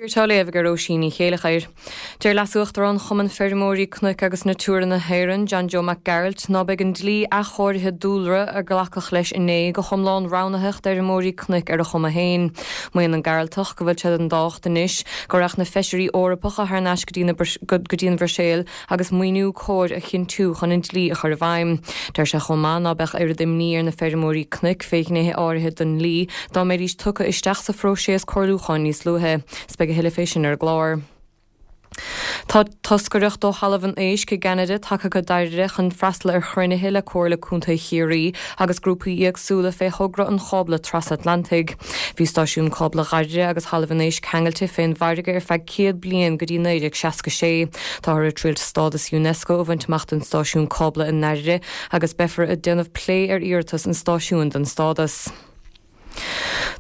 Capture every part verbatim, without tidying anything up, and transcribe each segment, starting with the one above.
Á léamh ag Róisín Ní Chéilleachair. Deir Leas-Uachtarán Chumann Feirmeoirí Cnoic agus Natura na hÉireann, John Joe Mac Gearailt, ná beidh an dlí athchóirithe dúlra a glacadh leis inné go hiomlán roghnaitheach d'fheirmeoirí cnoic ar a chuma féin. Maíonn an Gearaltach go bhfuil sé den tábhacht anois go raghadh na feisirí Eorpacha thar n-ais go dtí an Bhruiséil agus maoiniú cóir a chinntiú chun an dlí a chur i bhfeidhm. Deir sé chomh maith ná beadh oiread imní ar na feirmeoirí cnoic fé ghnéithe áirithe den dlí dá mbeidís tugtha isteach sa phróiseas comhairliúcháin níos luaithe. Beidh a thuilleadh fé sin ar an gclár. Tá toscaireacht ó Thalamh an Éisc i gCeanada tagtha go Doire chun freastal ar chruinnithe le Comhairle Contae Chiarraí agus grúpaí éagsúla fé thogra an chábla trasatlantaigh. Bhí stáisiún cábla Dhoire agus Thalamh an Éisc ceangailte fén bhfarraige ar feadh céad bliain go dtí naoi déag seasca sé. Táthar ag triail stádas UNESCO a bhaint amach don stáisiún cábla i nDoire agus beifear ag déanamh plé ar iarratas an stáisiúin don stádas.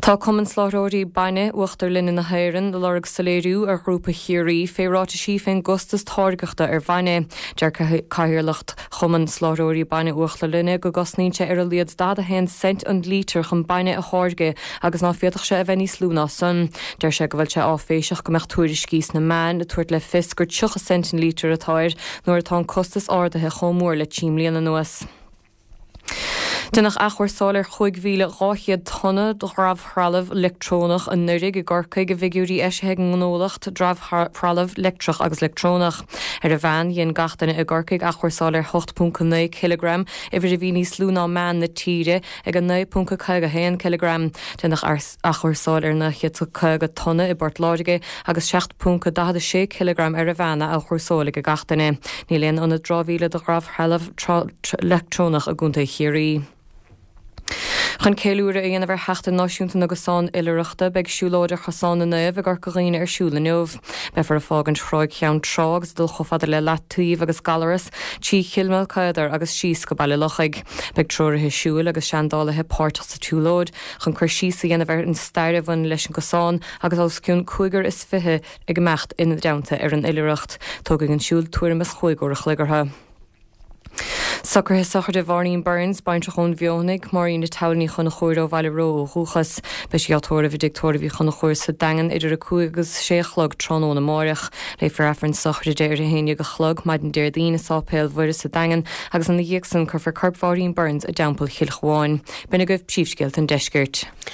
Tá Cumann Soláthróirí Bainne Uachtar Linne na hÉireann ag lorg soiléiriú ar Ghrúpa Chiarraí fé ráitisí fén gcostas táirgeachta ar bhainne. Deir Cathaoirleacht Chumann Soláthróirí Bainne Uachtar Linne go gcosnaíonn sé ar a laghad daichead a haon cent an lítear chun bainne a tháirgeadh agus ná féadfadh sé a bheith níos lú ná san. Deir sé go bhfuil sé áiféiseach go mbeadh tuairiscí sna meáin ag tabhairt le fios gur tríocha cent an lítear atá air nuair atá an costas ardaithe chomh mór le trí mbliana anuas. Deineadh athchúrsáil ar chúig mhíle dhá chéad tonna de dhramhthrealamh leictreonach anuraidh i gCorcaigh i bhfigiúirí eisithe ag an ngnólacht dramhthrealamh leictreach agus leictreonach. Ar an mheán, dhein gach duine i gCorcaigh athchúrsáil ar hocht ponc a naoi cileagram, uimhir a bhí níos lú ná meán na tíre ag a naoi ponc a caoga a haon cileagram. Deineadh athchúrsáil ar naoi chéad caoga tonna i bPort Láirge agus seacht ponc a daichead a sé cileagram ar an mheán á athchúrsáil ag gach duine. Níl aon ionad dramhaíola do dhramhthrealamh leictreonach i gContae Chiarraí. Chun ceiliúradh a dhéanamh ar Sheachtain Náisiúnta na gCosán Oilithreachta, beidh siúlóid ar Chosán na Naomh i gCorca Dhuibhne ar siúl inniu. Beifear ag fágaint Thráigh Cheann Trá agus ag dul chomh fada le Leataobh agus Gallaras, trí Chill Mholcaedar agus síos go Baile Lochaigh. Beidh treoraithe siúil agus seandálaithe páirteach sa tsiúlóid chun cur síos a dhéanamh ar an stair a bhaineann leis an gcosán agus os cionn cúigear is fiche ag imeacht ina dteannta ar an oilithreacht. Tógfaidh an siúl tuairim is chúig uair a chloig orthu. Socruithe sochraide Mháirín Burns, baintreach ón Mhionnaigh, Máirín Towel Ní Chonchúir ó Bhaile Ró ó dhúchas. Beidh sí á tórramh i dtigh tórraimh Uí Chonchúir sa Daingean idir a cúig agus a sé a chlog tráthnóna amáireach. Léifear Aifreann sochraide ar a haon déag a chlog maidin Déardaoin i Sáipéal Mhuire sa Daingean agus ina dhiaidh san cuirfear corp Mháirín Burns i dTeampall Chill Chabháin. B'in agaibh príomhscéalta an deiscirt.